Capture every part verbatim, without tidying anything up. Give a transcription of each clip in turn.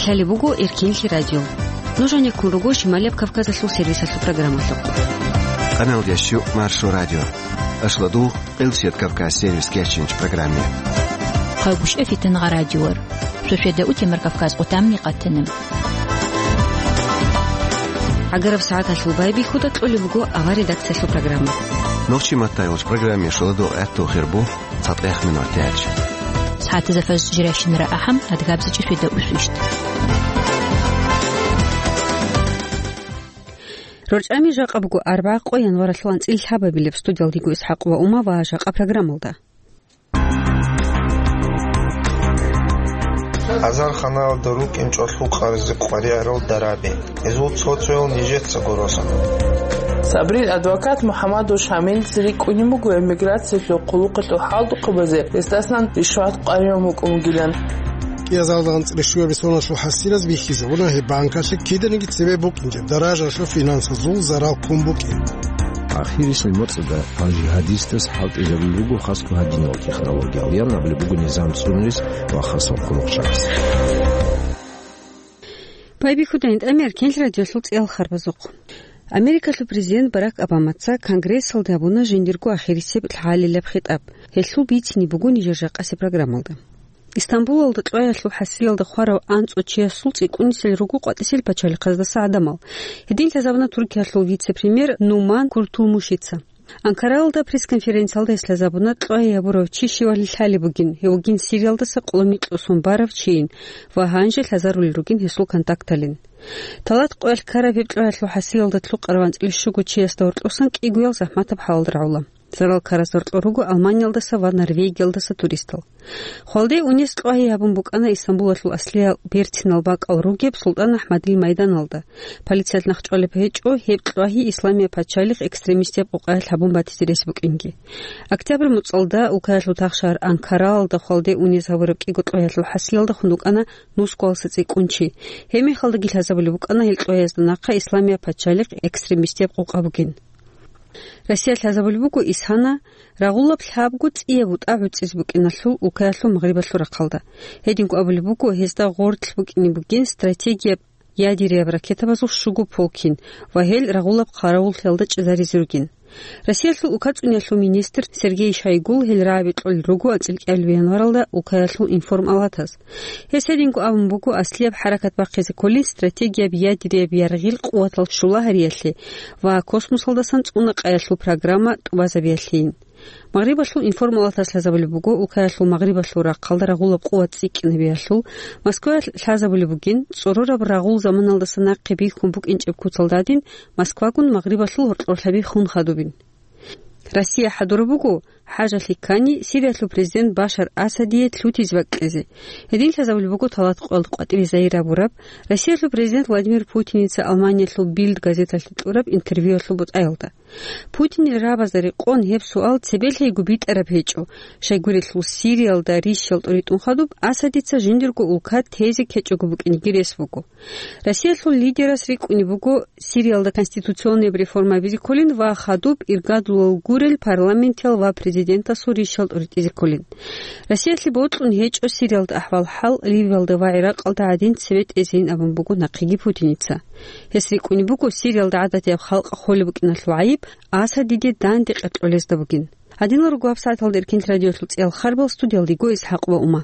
Лъалеб буго Эркенлъи радио. Нуж гьанеккун руго Шималияб Кавказалъул сервисалъул программалъухъ. Къаналда щу Маршо радио. Ашладу Къилсият Кавказ сервис кечинч программе. Хъагушев Фитангъа радиор. Шошеда утемар Кавказ къутамни къатана. Агараб сагӀаталъул байбихьуда кьолеб буго авар редакциялъул программа. Нохчи маттайолч программе шуладу гӀатту хирбу. ЦатӀех минутач. СагӀатазда фаз жирайщинара ахӀам, адгабзичӀи фида усвищт. РорчӀами жакъа буго арбагӀа къо январалъул анцӀил лъабабилеб. Студиялдего ИсхӀакъ ва Ума ва жакъа программалда. Азарханалда рукӀин чӀолъул къарзи къваригӀарал дараби. Гьезул цо-цоял нижеца гуросан. Сабрил адвокат МухӀаммадов Шамилица рикӀкӀунеб буго эмиграциялъул хъулухъалъул хӀалтӀухъабазе гьесдасан ришват къваригӀун букӀун бугилан. КӀиазалда анцӀила щуабилеб соналъул хӀасилаз бихьизабуна гьеб банкалъе киданиги цебе букӀинчӀеб даражалъул финансазул зарал ккун букӀин. Ахирисел моцӀалда гьал жигьадистас хӀалтӀизабулеб буго хасго гьадинал технологиял, ян абулеб буго низам цӀунарис ва хасал хъулухъчагӀаз. Байбихьудайин тӀамияр кенлъ радиолъул цӀиял харбазухъ. Америкалъул президент Барак Обамаца Конгрессалда гьабуна жиндирго ахирисеб лъалилаб хитӀаб. Гьелъул бицине буго нижер жакъасеб программалда. Истамбулалда кьваялъул хӀасилалда хварав анцӀго чиясул цӀикӀкӀунисел руго къватӀисел пачалихъаздаса гӀадамал. Гьедин лъазабуна Туркиялъул вице-премьер Нуман Куртулмушица. Анкараялда пресс-конференциялда гьес лъазабуна кьвай гьабурав чи щивали лъалеб бугин, гьев вугин Сириялдаса къоло микьусун барав чийин ва гьанже лъазарулел ругин гьесул контакталин. Талат къоялъ ккараб гьеб кьваялъул хӀасилалда лъукъарав анцӀила щуго чиясда гьоркьосан кӀигоял захӀматаб хӀалалда рагӀула. Зарал ккараз гьоркьор руго Алманиялдаса ва Норвегиялдаса туристал. Хвалде унес кьвагьи гьабун букӀана Истамбулалъул аслиял бертинал бакӀал ругеб СултӀан АхӀмадил майданалда. Полициялъ нахъчӀвалеб гьечӀо гьеб кьвагьи Исламияб пачалихъ экстремистияб къукъаялъ гьабун батизе рес букӀинги. Октябрь муцӀалда Украиналъул тахшагьар Анкараялда хвалде унез гьабураб кӀиго кьваялъул хӀасилалда хун рукӀана нусгоялдаса цӀикӀкӀун чи. Гьеб мехалдаги лъазабулеб букӀана гьел кьваязда нахъа Исламияб пачалихъ экстремистияб къукъа бугин. Россия лъазабулеб буго ИСХАНА рагъулаб лъабго цӀияб бутӀа гӀуцӀизе букӀиналъул Украиналъул магърибалъул рахъалда. Гьединго абулеб буго, гьезда гъорлъ букӀине бугин стратегияб ядерияб ракетабазул щуго полкин ва гьел рагъулаб хъаравуллъиялда чӀезаризе ругин. Россиялъул укацӀуниялъул министр Сергей Шойгул гьел рагӀаби кьолел руго анцӀила кӀиабилеб январалда Украиналъул информалатаз. Гьес гьединго абун буго аслияб хӀаракат бахъизе кколин стратегияб ядерияб яргъил къуватал чулагьариялъе ва космосалдасан цӀуна-къаялъул программа тӀубазабиялъейин. Магърибалъул информалатас лъазабулеб буго, Украиналъул магърибалъул рахъалда рагъулаб къуват цӀикӀкӀинабиялъул Москваялъ лъазабулеб бугин, цӀорораб рагъул заманалдаса нахъе бихьун букӀинчӀеб куцалда гӀадин, Москвагун магърибалъул гьоркьорлъаби хун хадубин. Россия хӀадураб буго, хӀажалъи ккани, Сириялъул президент Башар Асадие лъутизе бакӀизе. Гьедин лъазабулеб буго талат къоялда къватӀибе загьир гьабураб, Россиялъул президент Владимир Путиница Алманиялъул Бильд газеталъе кьураб интервьюялъул бутӀаялда. Путинил рагӀабазда рекъон гьеб суал цебелъайго битӀараб гьечӀо, щайгурелъул Сириялда рищал тӀоритӀун хадуб Асадица жиндирго улка тезе ккечӀого букӀинеги рес буго. Россиялъул лидерас рикӀкӀунеб буго Сириялда конституционный реформа гьабизе кколин ва хадуб иргадулал гурел парламентиял ва президентасул рищал тӀоритӀизе кколин. Россиялъе бокьун гьечӀо Сириялда ахӀвал-хӀал, Ливиялда ва ГӀиракъалда гӀадин цебетӀезейин абун буго нахъеги Путиница. Гьес рикӀкӀунеб буго Сириялда гӀадатияб халкъ холеб букӀиналъул гӀайиб Асадиде данде къеркьолезда бугин. Гьадинал руго гьабсагӀаталда Эркенлъи радиолъул цӀиял харбал, студиялдего ИсхӀакъ ва Ума.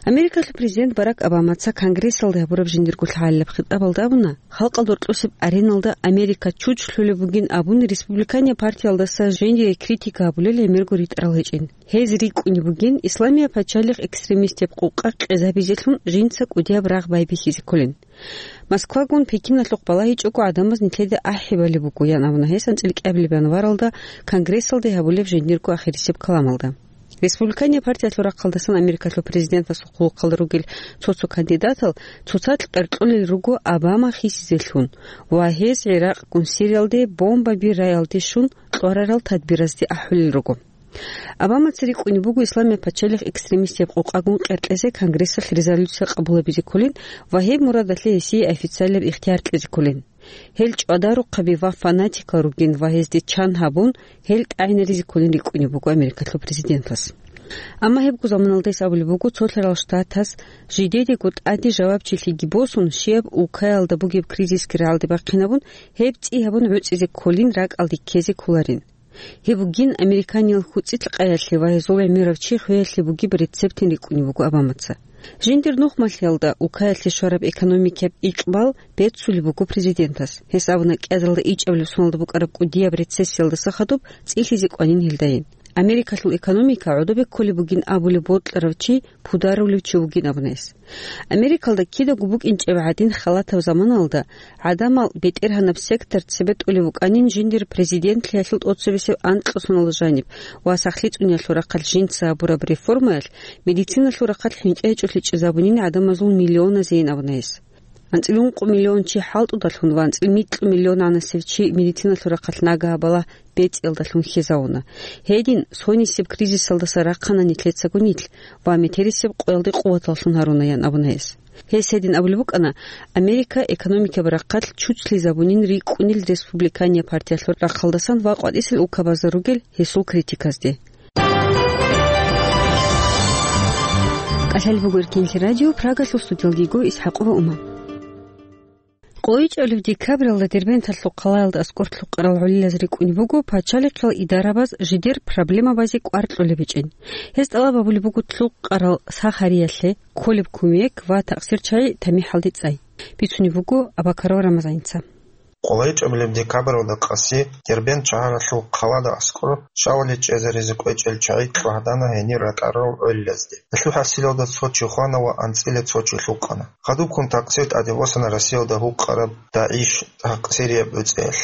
Америкалъул президент Барак Обамаца Конгрессалда гьабураб жиндирго лъалеб хитӀабалда абуна, халкъалда гьоркьосеб ареналда Америка чучулъулеб бугин абун республиканияб партиялдаса жиндие критика гьабулел гӀемерго ритӀарал гьечӀин. Гьез рикӀкӀунеб бугин Исламияб пачалихъ экстремистияб къукъа къезабизелъун жинца кӀудияб рагъ байбихьизе кколин. Москвагун Пекиналъухъ балагьичӀого гӀадамаз нилъеда ахӀи балеб буго, ян абуна гьес анцӀила кӀиабилеб январалда Конгрессалда гьабулеб жиндирго ахирисеб каламалда. Республиканиял партиялъул рахъалдасан Америкалъул президентасул хъулухъалда ругел цо-цо кандидатал цоцазда къеркьолел руго Обама хисизелъун ва гьез ГӀиракъгун Сириялде бомбаби раялде щун кьварарал тадбиразде ахӀулел руго. Обамаца рикӀкӀунеб буго Исламияб пачалихъ экстремистияб къукъагун къеркьезе Конгрессалъ резолюция къабулабизе кколин ва гьеб мурадалъе гьесие официалияб ихтияр кьезе кколин. Гьел чӀвадарухъаби ва фанатикал ругин ва гьезде чан гьабун, гьел тӀагӀинаризе кколин рикӀкӀунеб буго Америкалъул президентас. Амма гьебго заманалда гьес абулеб буго, цолъарал штатас жидедего тӀаде жавабчилъиги босун, щибаб улкаялда бугеб кризисги рагӀалде бахъинабун, гьеб цӀи гьабун гӀуцӀизе кколин, ракӀалде ккезе кколарин. Гьеб бугин американиял хьуцӀилъ къаялъе ва гьезул гӀемерав чи хвеялъе бугеб рецептин рикӀкӀунеб буго Обамаца. Жиндир нухмалъиялда улкаялъе щвараб экономикияб икьбал беццулеб буго президентас. Гьес абуна, кӀиазалда ичӀабилеб соналда букӀараб кӀудияб рецессиялдаса хадуб цӀилъизе кӀванин гьелдайин. Америкалъул экономика гӀодобе кколеб бугин абулеб бокьарав чи пударулев чи вугин абуна гьес. Америкалда кидаго букӀинчӀеб гӀадин халатаб заманалда гӀадамал бетӀергьанаб сектор цебетӀулев вукӀанин жиндир президентлъиялъул тӀоцебесеб анкьго соналда жаниб ва сахлъи цӀуниялъул рахъалъ жинца гьабураб реформаялъ медициналъул рахъалъ хӀинкъи гьечӀолъичӀезабунин гӀадамазул миллионазейин абуна гьес. АнцӀила ункъо миллион чи хӀалтӀудалъун ва анцӀила микьго миллион гӀанасев чи медициналъул рахъалъ нагагь балагь бецӀиялдалъун хьезавуна. Гьедин, сонисеб кризисалдаса рахъана нилъецаго нилъ ва метерисеб къоялде къуваталлъун гьаруна, ян абуна гьес. Гьес гьедин абулеб букӀана, Америка экономикаб рахъалъ чуцлъизабунин рикӀкӀунел республикания партиялъул рахъалдасан ва къватӀисел улкабазда ругел гьесул критиказде. КӀалъалеб буго Эркенлъи радио, Прагалъул студиялдего ИсхӀакъова Ума. КъойчӀолев декабралда Дербенталъул хъалаялда аскӀор лъукъарал гӀолилаз рикӀкӀунеб буго пачалихъал идарабаз жидер проблемабазе кӀвар кьолеб гьечӀин. Гьез тӀалаб гьабулеб буго лъукъарал сахариялъе кколеб кумек ва такъсир чагӀи тамихӀалде цӀай. Бицунеб буго Абакаров Рамазаница. КъойчӀолеб декабралда къаси Дербент шагьаралъул хъалада аскӀор щавали чӀезаризе кӀвечӀел чагӀи кьвагьдана гьенир ракӀарал гӀолилазде. Гьелъул хӀасилалда цо чи хвана ва анцӀила цо чи лъукъана. Хадубккун такъсир тӀаде босана Россиялда гьукъараб ДАИШ такъсирияб гӀуцӀиялъ.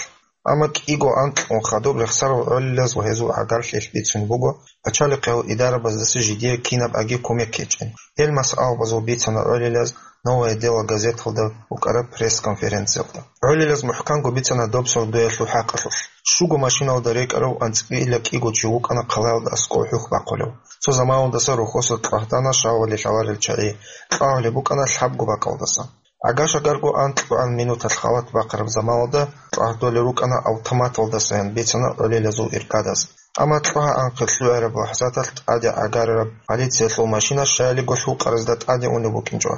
Амма кӀиго анкьгун хадуб рехсарал гӀолилаз ва гьезул гӀагарлъиялъ бицун буго, пачалихъал идарабаздаса жидее кинаб аги кумек гьечӀин. Гьел масъалабазул бицана гӀолилаз «Новое дело» газеталда букӀараб пресс-конференциялда. ГӀолилаз мухӀканго бицана доб сордоялъул хӀакъалъулъ. Щуго машиналда рекӀарав анцӀила кӀиго чи вукӀана хъалаялда аскӀов хӀухь бахъулев. Цо заманалдаса рухьоса кьвагьдана щавали лъаларел чагӀи, кьвагьулеб букӀана лъабго бакӀалдаса. ГӀага-шагарго анкьгоан минуталъ халат бахъараб заманалда кьвагьдулел рукӀана автоматалдасаян бицана гӀолилазул иргадаз. Амма кьвагьа анкьго лъугӀараб лахӀзаталъ тӀаде гӀагарараб полициялъул машина щаялиго лъукъаразда тӀаде унеб букӀинчӀо.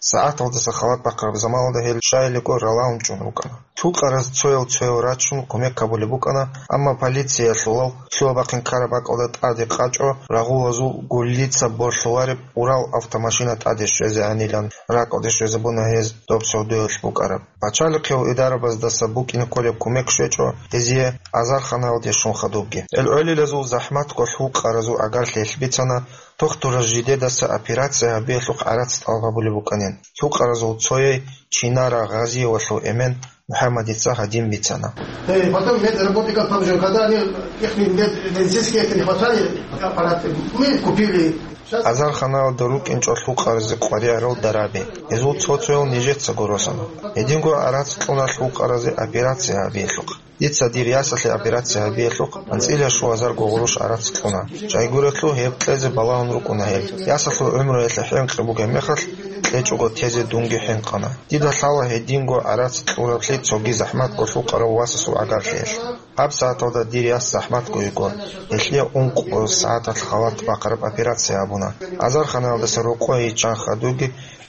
СагӀаталдаса халат бахъараб заманалда гьел щаялиго ралаун чӀун рукӀана. Лъукъараз цоял-цоял рачун кумек гьабулеб букӀана, амма полициялъулал лъугьа-бахъин ккараб бакӀалда тӀаде къачӀо рагъулазул гуллица борлъулареб Урал автомашина тӀаде щвезегӀанилан ракӀалде щвезабуна гьез доб сордоялъ букӀараб. Пачалихъал идарабаздаса букӀине кколеб кумек щвечӀо гьезие азарханаялде щун хадубги. Гьел гӀолилазул захӀматго лъукъаразул гӀагарлъиялъ бицана, тухтураз жидедаса операция гьабиялъухъ гӀарац тӀалаб гьабулеб букӀанин. Лъукъаразул цояй Чинара Гъазиевалъул эмен МухӀаммадица гьадин бицана. Э, потом медработников там же, когда они, их мед-, медицинские это не хватали, аппараты. Мы купили. Щас Азарханаялда рукӀинчӀо лъукъаразе къваригӀарал дараби. Гьезул цо-цоял нижецаго росана. Гьединго гӀарац кьуна лъукъаразе операция гьабиялъухъ. Дица дир ясалъе операция гьабиялъухъ анцӀила щуазарго гъурущ гӀарац кьуна. Щайгурелъул гьеб кьезе балагьун рукӀуна гьел. Ясалъул гӀумруялъе хӀинкъи бугеб мехалъ, кьечӀого тезе дунги хӀинкъана. Дида лъала гьединго гӀарац кьураблъи цоги захӀматго лъукъарав васасул гӀагарлъиялъ. Гьаб сагӀаталда дир яс захӀматго йиго, гьелъие ункъо сагӀаталъ халат бахъараб операция гьабуна. Азарханаялдаса рокъое йиччан хадуги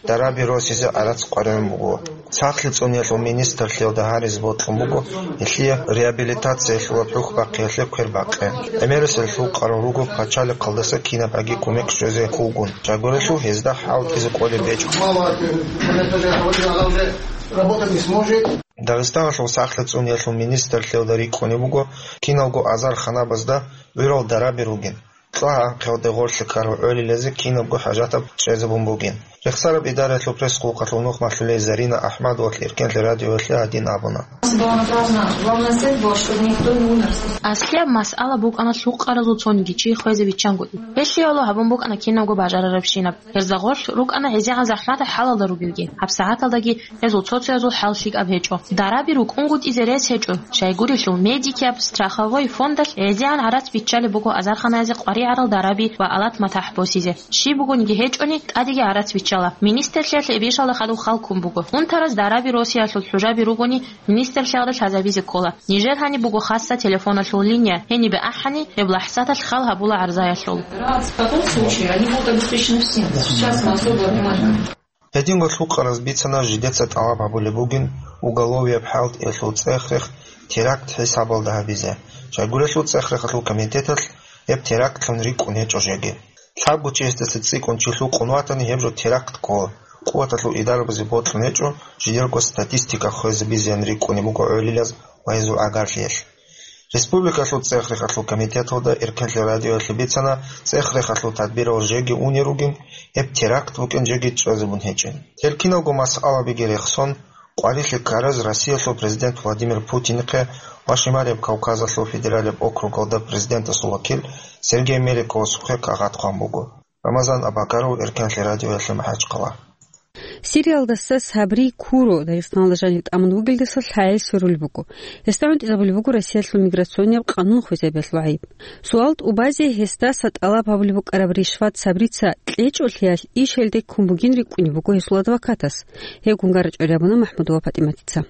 дараби росизе гӀарац къваригӀун буго. Сахлъи цӀуниялъул министрлъиялда гьаризе бокьун буго, гьелъие реабилитациялъулаб хӀухь бахъиялъе квер бакъи. ГӀемерисел лъукъарал руго пачалихъалдаса кинаб аги кумек щвезе кколгун, щайгурелъул гьезда хӀалтӀизе кӀолеб гьечӀо. Мало, э, она тоже, она уже работать не сможет. Дагъистаналъул сахлъи цӀуниялъул министрлъиялда рикӀкӀунеб буго киналго азарханабазда гӀурал дараби ругин. КьвагӀа анкьгоялде гъорлъе ккарал гӀолилазе кинабго хӀажатаб чӀезабун бугин. Рехсараб идараялъул пресс-къулухъалъул нухмалъулей Зарина АхӀмадовалъ Эркенлъи радиоялъе гьадин абуна: Была направлена, главная цель была, чтобы никто не умер. Аслияб масъала букӀана лъукъаразул цониги чи хвезе биччангутӀи. Гьелъияло гьабун букӀана кинабго бажарарабщинаб. Гьезда гъорлъ рукӀана гӀезегӀан захӀматал хӀалалда ругелги. ГьабсагӀаталдаги гьезул цо-цоязул хӀал лъикӀаб гьечӀо. Дараби рукӀунгутӀизе рес гьечӀо. Щайгурелъул, Медикияб страховой фондалъ гӀезегӀан гӀарац биччалеб буго азарханаязе къваригӀарал дараби ва алат-матахӀ босизе. Щиб бугониги гьечӀони, тӀадеги гӀарац биччала. Министрлъиялъ эбешалда хадуб хал ккун буго. Унтараз дараби росиялъул хӀужаби ругони, министрлъиялда лъазабизе ккола. Нижер гьаниб буго хасса телефоналъул линия, гьенибе ахӀани, гьеб лахӀзаталъ хал гьабула гӀарзаялъул. В таком случае они будут обеспечены всем. Сейчас мы особо внимание. Гьединго лъукъараз бицана жидеца тӀалаб гьабулеб бугин уголовияб хӀалтӀиялъул цӀех-рех теракт хӀисабалда гьабизе. Щайгурелъул цӀех-рехалъул комитеталъ гьеб терактлъун рикӀкӀун гьечӀо жеги. Лъабго чиясдаса цӀикӀкӀун чи лъукъун ватани, гьеб жо теракт ккола. Къуваталъул идарабазе бокьун гьечӀо, жидерго статистика хвезабизеян рикӀкӀунеб буго гӀолилаз ва гьезул гӀагарлъиялъ. Республикалъул цӀех-рехалъул комитеталда Эркенлъи радиоялъе бицана, цӀех-рехалъул тадбирал жеги унел ругин, гьеб теракт букӀин жеги чӀезабун гьечӀин. Гьел киналго масъалабиги рехсон, къварилъи ккараз Россиялъул президент Владимир Путинихъе ва Шималияб Кавказалъул федералияб округалда президентасул вакил Сергей Меликовасухъе кагъат хъван буго. Рамазан Абакаров, Эркенлъи радиоялъе МахӀачхъала. Сириялдаса Сабри Куро Дагъистаналда жанив тӀамун вугелдаса лъагӀел сверулеб буго. Гьесда гӀунтӀизабулеб буго Россиялъул миграционияб къанун хвезабиялъул гӀайиб. Суал тӀубазе гьесдаса тӀалаб гьабулеб букӀараб ришват Сабрица кьечӀолъиялъ иш гьелде ккун бугин рикӀкӀунеб буго гьесул адвокатас. Гьеб гунгарачӀори абуна МахӀмудова ПатӀиматица.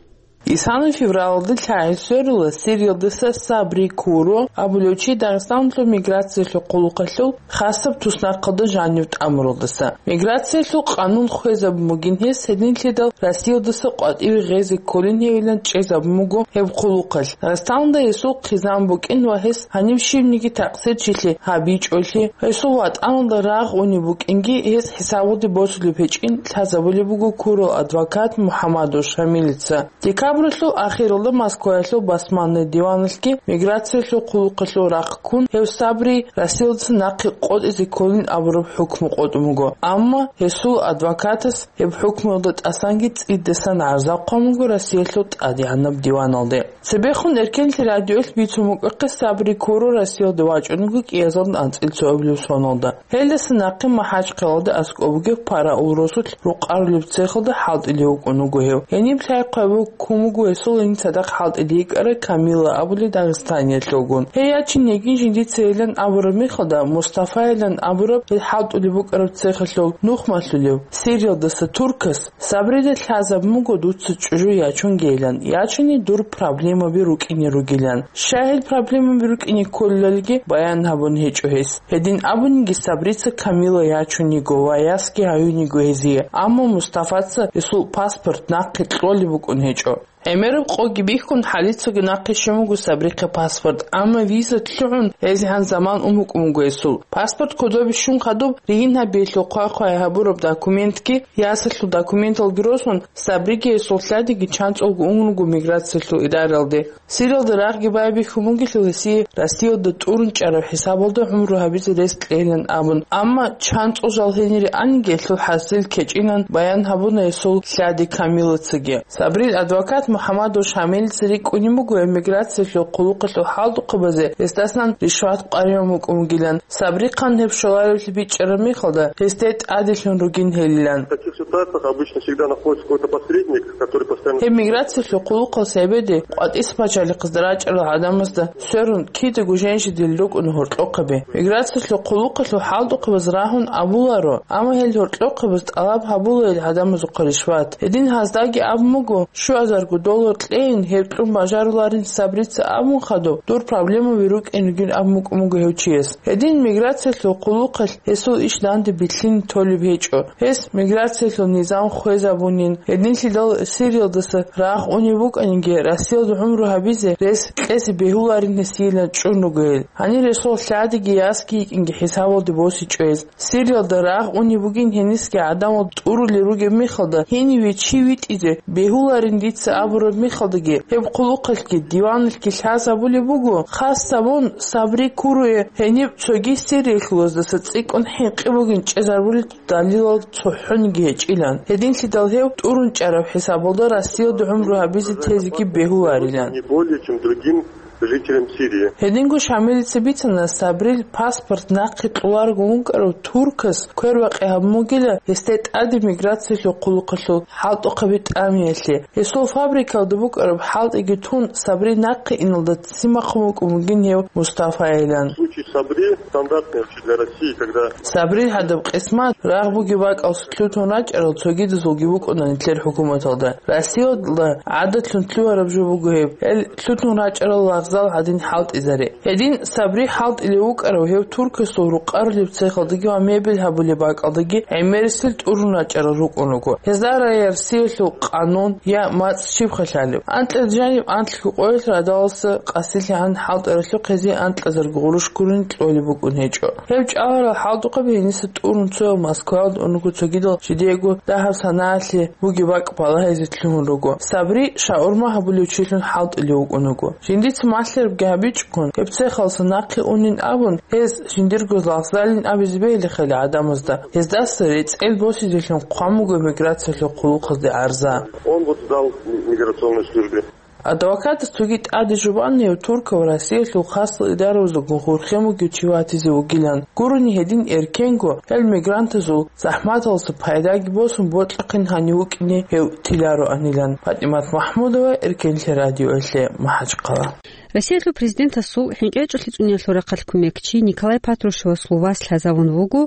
Исана февралалда лъагӀел сверула Сириялдаса Сабри Куро абулев чи Дагъистаналъул миграциялъул хъулухъалъул хасаб туснахъалда жанив тӀамуралдаса. Миграциялъул къанун хвезабун бугин гьес, гьединлъидал Россиялдаса къватӀиве гъезе кколин гьевилан чӀезабун буго гьеб хъулухъалъ. Дагъистаналда гьесул хъизан букӀин ва гьес гьанив щибниги такъсирчилъи гьабичӀолъи, гьесул ватӀаналда рагъ унеб букӀинги гьес хӀисабалде босулеб гьечӀин лъазабулеб буго Курол адвокат МухӀаммадов Шамилица. Декабралъул ахиралда Москваялъул басманный диваналъги миграциялъул хъулухъалъул рахъ ккун гьев Сабри Россиялдаса нахъе къотӀизе кколин абураб хӀукму къотӀун буго. Амма гьесул адвокатас гьеб хӀукмуялда тӀасанги цӀидасан гӀарза хъван буго Россиялъул тӀадегӀанаб диваналде. Цебехун Эркенлъи радиоялъ бицун букӀахъе Сабри Куро Россиялде вачӀун вуго кӀиазда анцӀила цоабилеб соналда. Гьелдаса нахъе МахӀачхъалада аскӀоб бугеб параул росулъ рукъарулеб цехалда хӀалтӀулев вукӀун вуго гьев. Гьениб лъай-хъвай ккун буго гьесул гьениб цадахъ хӀалтӀулев йикӀарай Камила абулев дагъистаниялъулгун. Гьей ячин йигин жиндица гьелан абураб мехалда, Мустафайилан абураб гьел хӀалтӀулеб букӀараб цехалъул нухмалъулев, Сириялдаса туркас, Сабрида лъазабун буго дуца чӀужу ячунгейилан, ячани дур проблемаби рукӀине ругилан. Щай гьел проблемаби рукӀине кколелалги баян гьабун гьечӀо гьес. Гьедин абуниги Сабрица Камила ячун йиго ва ясги гьаюн йиго гьезие, амма Мустафаца гьесул паспорт нахъе кьолеб букӀун гьечӀо. ГӀемераб къоги бихьун, гьалицаго нахъе щун буго Сабрихъе паспорт, амма виза лъугӀун гьезегӀан заман ун букӀун буго гьесул. Паспорт кодобе щун хадуб, ригьин гьабиялъул хъвай-хъвай гьабураб документги, ясалъул документалги росун, Сабриги гьесул лъадиги чанцӀулго ун руго миграциялъул идаралде. Сириялда рагъги байбихьун бугелъул гьесие Россиялда тӀурун чӀараб хӀисабалда гӀумру гьабизе рес кьейилан абун, амма чанцӀул жал гьенире аниги гьелъул хӀасил ккечӀинан баян гьабуна гьесул лъади Камилацаги. Сабрил адвокат МухӀаммадов Шамилица рикӀкӀунеб буго эмиграциялъул хъулухъалъул хӀалтӀухъабазе гьесдасан ришват къваригӀун букӀун бугилан, Сабрихъан гьеб щоларевлъи бичӀчӀараб мехалда, гьесде тӀаделъун ругин гьелилан. В таких ситуациях обычно всегда находится какой-то посредник, который постоянно... Гьеб миграциялъул хъулухъалъ гьебеде къватӀис пачалихъазда рачӀарал гӀадамазда сверун кидаго женщидил рукӀун гьоркьохъаби. Миграциялъул хъулухъалъул хӀалтӀухъабаз рагьун абуларо, амма гьел гьоркьохъабаз тӀалаб гьабула гьел гӀадамазухъа ришват. Гьедин гьаздаги абун буго, щуазарго доллар кьейин, гьеб кьун бажаруларин Сабрица абун хадуб, дур проблемаби рукӀин ругин абун букӀун буго гьев чияс. Гьедин миграциялъул хъулухъалъ гьесул иш данде билълъине толеб гьечӀо. Гьес миграциялъул низам хвезабунин, гьединлъидал Сириялдаса рагъ унеб букӀаниги, Россиялда гӀумру гьабизе рес кьезе бегьуларин гьесиилан чӀун руго гьел. Гьанир гьесул лъадиги ясги йикӀинги хӀисабалде босичӀо гьез. Сириялда рагъ унеб бугин гьенисги гӀадамал тӀурулел ругеб мехалда, гьениве чи витӀизе бегьуларин дица аб гьабураб мехалдаги, гьеб хъулухъалъги диваналъги лъазабулеб буго, хас гьабун, Сабри Куруе гьениб цоги Сириялъулаздаса цӀикӀкӀун хӀинкъи бугин чӀезарбулел далилал цохӀониги гьечӀилан. Гьединлъидал гьев тӀурун чӀараб хӀисабалда Россиялда гӀумру гьабизе тезеги бегьуларилан. Не более чем другим жителям Сирии. Гьединго Шамилица бицана, Сабрил паспорт нахъе кьоларого вукӀарав туркас квербакъи гьабун бугила гьесда тӀаде миграциялъул хъулухъалъул хӀалтӀухъаби тӀамиялъе. Гьесул фабрикалда букӀараб хӀалтӀиги тун, Сабри нахъе иналда ццин бахъун вукӀун бугин гьев Мустафайилан. Случай Сабри стандартный вообще для России, когда Сабрил гьадаб къисмат рагъ бугеб бакӀалъ лъутун рачӀарал цогидазулги букӀуна нилъер хӀукуматалда. Россиялда гӀадатлъун лъугьараб жо буго гьеб, гьел лъутун рачӀарал лагъзал гьадин хӀалтӀизаре. Гьедин Сабри хӀалтӀилев вукӀарав гьев туркасул рукъарулеб цехалдаги ва мебель гьабулеб бакӀалдаги гӀемерисел тӀурун рачӀарал рукӀун руго. Гьезда Россиялъул къанун я мацӀ щибха лъалеб? Анкьа жаниб анлъго къоялъ радаласа къасилъагӀан хӀалтӀаралъухъ гьезие анкьазарго гъурущ гурин кьолеб букӀун гьечӀо. Гьеб чӀаларал хӀалтӀухъаби гьениса тӀурун цоял Москваялда ун руго, цогидал жидеего дагьаб санаялъе бугеб бакӀ балагьизе лъугьун руго. Сабри шаурма гьабулев чилъун хӀалтӀулев вукӀун вуго. Жиндица малъарабги гьабичӀого, гьеб цехалъа нахъе унин абун, гьез жиндирго лагъзалин абизе бегьилихъали гӀадамазда, гьездаса рецӀел босизелъун хъван буго миграциялъул хъулухъазде гӀарза. Он вот сдал миграционной службе. Адвокатас цоги тӀаде жубан гьев Туркияв Россиялъул хасал идараялда гъурхъен вугев чи ватизе вугилан. Гурони гьедин эркенго, гьел мигрантазул захӀматалъа пайдаги босун бокьухъин гьанив вукӀине гьев тилароанилан. ПатӀимат Махмудова, Эркенлъи радиоялъе, МахӀачхъала. Россиялъул президентасул хӀинкъичӀолъи цӀуниялъул рахъалъ кумекчи Николай Патрушевасул вас лъазавун вуго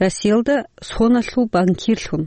Россиялда соналъул банкирлъун.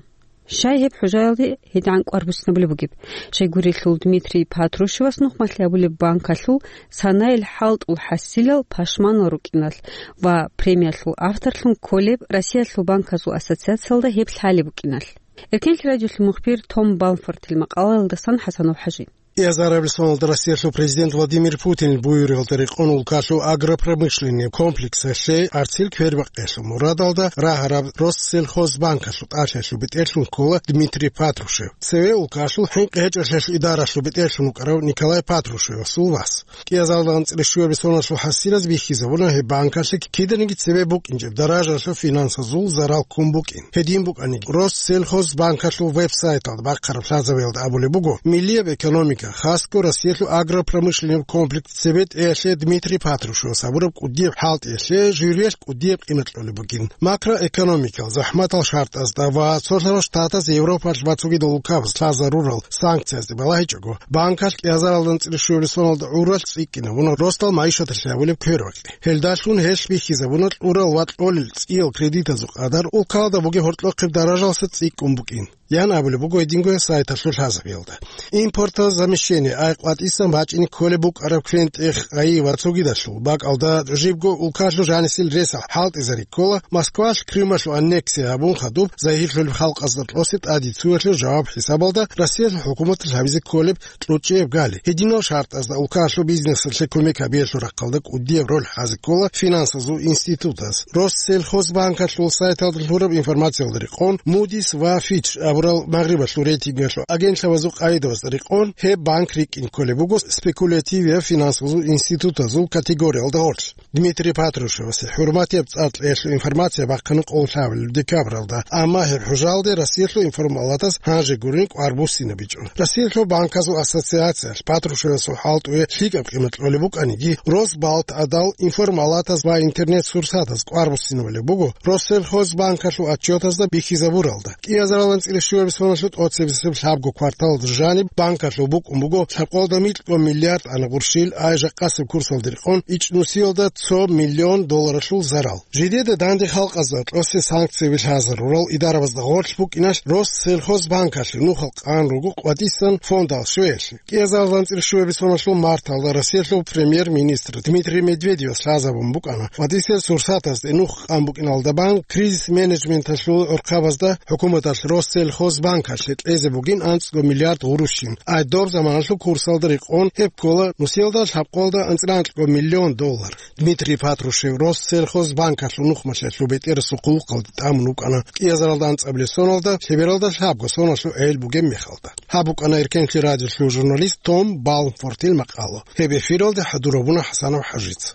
Щай гьеб хӀужаялде гьедигӀан кӀвар буссинабулеб бугеб? Щайгурелъул Дмитрий Патрушевас нухмалъи гьабулеб банкалъул санаялъ хӀалтӀул хӀасилал пашманал рукӀиналъ ва премиялъул авторлъун кколеб Россиялъул банказул ассоциациялда гьеб лъалеб букӀиналъ. Эркенлъи радиолъул мухбир Том Балфортил макъалаялдасан ХӀасанов ХӀажи. Кьиазарабилеб соналда Россиялъул президент Владимир Путинил буюригӀалда рекъон улкалъул агропромышленный комплексалъе гӀарцил квербакъиялъул мурадалда рагьараб Россельхозбанкалъул тӀалъиялъул бетӀерлъун ккола Дмитрий Патрушев. Цеве улкалъул хӀинкъи гьечӀолъиялъул идаралъул бетӀерлъун вукӀарав Николай Патрушевасул вас. Кьиазаралда анцӀила щуабилеб соналъул хӀасилаз бихьизабуна гьеб банкалъе киданиги цебе букӀинчӀеб даражалъул финансазул зарал ккун букӀин. Гьедин букӀаниги, Россельхозбанкалъул веб-сайталда бахъараб лъазабиялда абулеб буго, миллияб экономика, хасго Россиялъул агропромышленный комплекс цебетӀеялъе Дмитрий Патрушевас гьабураб кӀудияб хӀалтӀиялъе журиялъ кӀудияб къимат кьолеб бугин. Макроэкономикал захӀматал шартӀазда ва цолъарал штатаз Европалъ ва цогидал улкабаз лъазарурал санкциязде балагьичӀого, банкалъ кӀиазаралда анцӀила щуабилеб соналда гӀуралъ цӀикӀкӀинабуна росдал майишаталъе гьабулеб квербакъи. Гьелдалъун гьелъ бихьизабуна кьурал ва кьолел цӀиял кредитазул къадар, улкалда бугеб гьоркьохъеб даражалъа цӀикӀкӀун букӀин, ян абулеб буго гьединго сайталъул лъазабиялда. Импортозамещение, ай къватӀисан бачӀине кколеб букӀараб квен-тӀех, ай ва цогидалъул бакӀалда жибго улкалъул жанисел ресал хӀалтӀизари ккола, Москвалъ Крымалъул аннексия гьабун хадуб загьирлъулеб халкъазда тӀосе тӀадицуялъул жаваб хӀисабалда Россиялъул хӀукуматалъ гьабизе кколеб кьучӀеб гали. Гьединал шартӀазда улкалъул бизнесалъе кумек гьабиялъул рахъалда кӀудияб роль хӀазе ккола финансазул институтаз. Россельхозбанкалъул сайталда лъураб информациялда рекъон, Moody's ва Fitch абурал магърибалъул рейтингалъул агентлъабазул къагӀидабазда рекъон, гьеб банк рикӀкӀин кколеб буго спекулятивияб финансазул институтазул категориялда гъорлъ. Дмитрий Патрушевасе хӀурматияб цӀар кьеялъул информация бахъана къоло лъабабилеб декабралда, амма гьеб хӀужалде Россиялъул информалатас гьанже гурин кӀвар буссинабичӀо. Россиялъул банказул ассоциациялъ Патрушевасул хӀалтӀуе лъикӀаб къимат кьолеб букӀаниги, Росбалтадал информалатаз ва интернет-сурсатаз кӀвар буссинабулеб буго Россельхозбанкалъул отчетазда бихьизабуралда. КӀиазаралда анцӀила щуабилеб соналъул тӀоцебесеб лъабго кварталалда жаниб банкалъул букӀун буго лъабкъоялда микьго миллиард ана гъурщил, ай жакъасеб курсалда рекъон ичӀнусиялда цо миллион долларалъул зарал. Жидеда данде халкъазда тӀосе санкцияби лъазарурал идарабазда гъорлъ букӀиналъ Россельхозбанкалъе нухал къан руго къватӀисан фондал щвеялъе. КӀиазаралда анцӀила щуабилеб соналъул марталда Россиялъул премьер-министр Дмитрий Медведевас лъазабун букӀана къватӀисел сурсатазде нух къан букӀиналда бан кризис-менеджменталъул гӀурхъабазда хӀукуматалъ Россель Россельхозбанкалъе кьезе бугин анцӀго миллиард гъурущин. Ай доб заманалъул курсалда рекъон гьеб ккола нусиялда лъабкъоялда анцӀила анкьго миллион доллар. Дмитрий Патрушев Россельхозбанкалъул нухмалъиялъул бетӀерасул хъулухъалде тӀамун вукӀана кӀиазаралда анцӀабилеб соналда, лъебералда лъабго соналъул гӀел бугеб мехалда. Гьаб букӀана Эркенлъи радиолъул журналист Том Балмфортил макъала. Гьеб эфиралде хӀадур гьабуна ХӀасанов ХӀажица.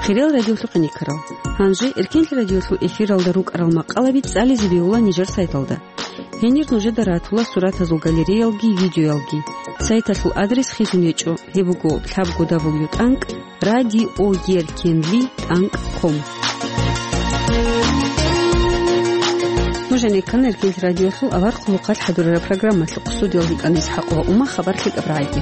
Хириял радиолъухъ иникарал. Гьанже Эркенлъи радиолъул эфиралда рукӀарал макъалаби цӀализе бегьула нижер сайталда. Гьенир нужеда ратула суратазул галереялги видеоялги. Сайталъул адрес хизун гьечӀо, гьеб буго лъабго дабл ю тӀанкӀ радио еркенли тӀанкӀ ком. Нуж гӀенеккана Эркенлъи радиолъул авар хъулухъалъ хӀадурараб программалъухъ. Студиялда йикӀана ИсхӀакъ ва Ума, хабар лъикӀаб рагӀиги.